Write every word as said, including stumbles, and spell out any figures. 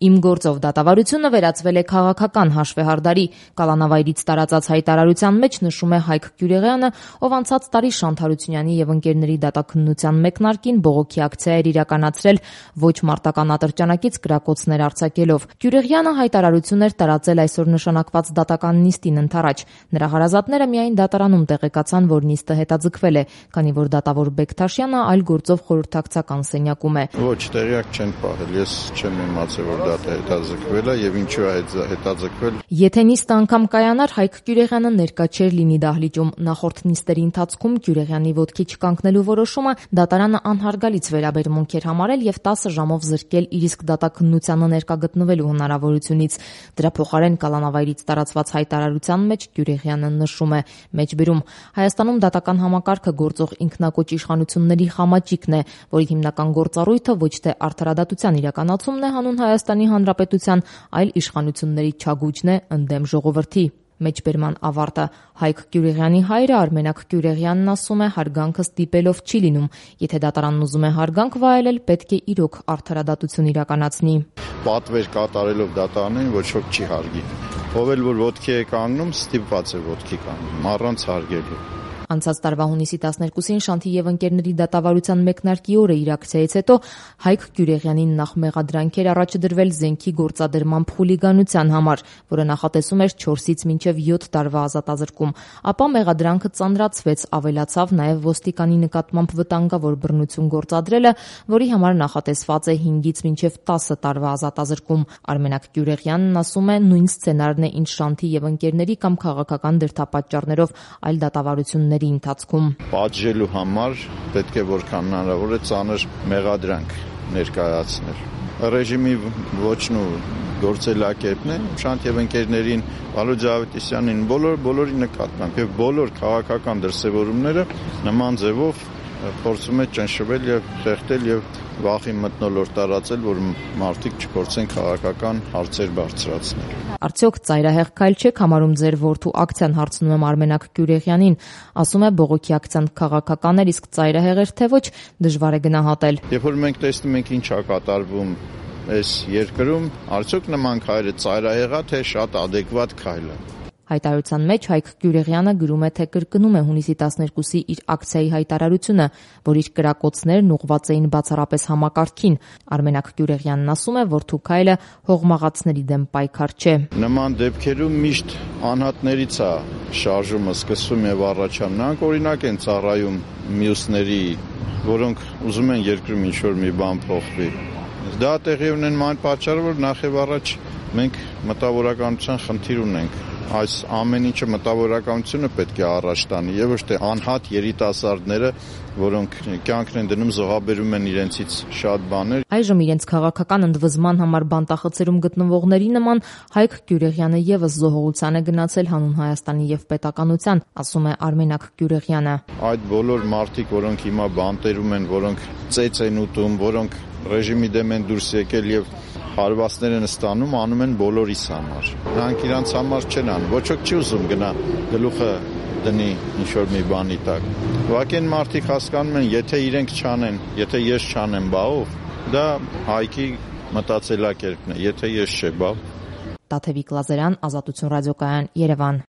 Իմ գործով դատավարությունը վերածվել է քաղաքական հաշվեհարդարի։ Կալանավայրից տարածած հայտարարության մեջ նշում է Հայկ Կյուրեղյանը, ով անցած տարի Շանթ Հարությունյանի եւ ընկերների դատաքննության մեկնարկին բողոքի ակցիա էր իրականացրել ոչ մարտական ատրճանակից կրակոցներ արձակելով։ Կյուրեղյանը հայտարարություն էր տարածել այսօր նշանակված դատական նիստին ընդառաջ։ Նրա հարազատները միայն դատարանում տեղեկացան, որ նիստը հետաձգվել է, քանի որ դատավոր Բեկթաշյանը այլ գործով խորհրդակցական սենյակում է։ Ոչ, տեղյակ չեն պահել, ես չեմ իմացել, որ դա հետաձգվել է եւ ինչու է հետաձգվել։ Եթե նիստը անգամ կայանար, Հայկ Կյուրեղյանը ներկա չէր լինի դահլիճում։ Նախորդ նիստերի ընթացքում Կյուրեղյանի ոտքի չկանգնելու որոշումը դատարանը անհարգալից վերաբերմունք էր համարել եւ տասը ժամով զրկել իր իսկ դատաքննությանը ներկա գտնվելու հնարավորությունից։ Դրա փոխարեն Կալանավայրից տարածված հայտարարության մեջ Կյուրեղյանը նշում է. մեջբերում Հայաստանում դատական համակարգը գործող ինքնակոչ իշխանությունների խամաճիկն է, որի հիմնական գործառույթը ոչ թե արդարադատության իրականացումն է հանուն Հայաստանի Հանրապետության, այլ իշխանությունների չագուճն է ընդդեմ ժողովրդի։ Մեջբերման ավարտը Հայկ Կյուրեղյանի հայրը Արմենակ Կյուրեղյանն ասում է, հարգանքը ստիպելով չի լինում։ Եթե դատարանն ուզում է հարգանք վայելել, պետք է իրոք արդարադատություն իրականացնի։ Պատվեր կատարելով դատարանին ոչ ոք չի հարգի։ Ով էլ որ ոտքի է կանգնում, ստիպված է ոտքի կանգնում, առանց հարգելու։ Անցած տարվա հունիսի տասներկուսին Շանթի եւ ընկերների դատավարության մեկնարկի օրը իր ակցիայից հետո Հայկ Կյուրեղյանին նախ մեղադրանք էր առաջ դրվել զենքի գործադրմամբ խուլիգանության համար, որը նախատեսում էր չորսից մինչև յոթ տարվա ազատազրկում, ապա մեղադրանքը ծանրացվեց, ավելացավ նաեւ ոստիկանի նկատմամբ վտանգավոր բռնություն գործադրելը, որի համար նախատեսված է հինգից մինչև տասը տարվա ազատազրկում։ Արմենակ Կյուրեղյանն ասում է, նույն սցենարն է, ինչ Շանթի եւ ընկերների կամ քաղաքական դրդապատճառներով այլ դատավարությունների ընթացքում։ Պատժելու համար պետք է որքան հնարավոր է ծանր մեղադրանք ներկայացնել։ Ռեժիմի ոչն ու գործելակերպն է Շանթ եւ ընկերներին, Վալոդ Ավետիսյանին, բոլոր բոլորի նկատմամբ եւ բոլոր քաղաքական դրսեւորումները նման ձևով փորձում է ճնշվել եւ խեղդել եւ վախի մթնոլորտ տարածել, որ մարդիկ չփորձեն քաղաքական հարցեր բարձրացնել։ Արդյոք ծայրահեղ քայլ չեք համարում ձեր որդու ակցիան, հարցնում եմ Արմենակ Կյուրեղյանին, ասում է բողոքի ակցիան քաղաքական էր, իսկ ծայրահեղ էր թե ոչ, դժվար է գնահատել։ Երբ որ մենք տեսնում ենք ինչ է կատարվում այս երկրում, արդյոք նման քայլը ծայրահեղ է, թե շատ ադեկվատ քայլ է։ Հայտարարության մեջ Հայկ Կյուրեղյանը գրում է, թե կրկնում է հունիսի տասներկուսի իր ակցիայի հայտարարությունը, որ իր կրակոցներն ուղղված էին բացառապես համակարգին։ Արմենակ Կյուրեղյանն ասում է, որ թուքայլը հողմաղացների դեմ պայքար չէ։ Նման դեպքերում միշտ անհատներից է շարժումը սկսվում եւ առաջանում։ Նրանք օրինակ են ծառայում մյուսների, որոնք ուզում են երկրում ինչ-որ մի բան փոխվի։ Դա տեղի ունեն այն պատճառով, որ նախ եւ առաջ մենք մտավորականության խնդիր ունենք։ Այս ամեն ինչը մտավորականությունը պետք է առաջ տանի եւ ոչ թե անհատ երիտասարդները, որոնք կյանքն են դնում, զոհաբերում են իրենցից շատ բաներ։ Այժմ իրենց քաղաքական ընդվզման համար բանտախցերում գտնվողների նման Հայկ Կյուրեղյանը եւս զոհողության է գնացել հանուն Հայաստանի եւ պետականության, ասում է Արմենակ Կյուրեղյանը։ Այդ բոլոր մարդիկ, որոնք հիմա բանտերում են, որոնք ծեծ են ուտում, որոնք ռեժիմի դեմ են դուրս եկել եւ հարվածներ են ստանում, անում են բոլորիս համար։ Նրանք իրանց համար չեն անում, ոչ ոք չի ուզում գնա գլուխը դնի ինչ-որ մի բանի տակ։ Ուղղակի են մարդիկ հասկանում են, եթե իրենք չանեն, եթե ես չանեմ, բա ով, դա Հայկի մտածելակերպն է, եթե ես չէ, բա։ Տաթևիկ Լազարյան, Ազատություն ռադիոկայան, Երևան։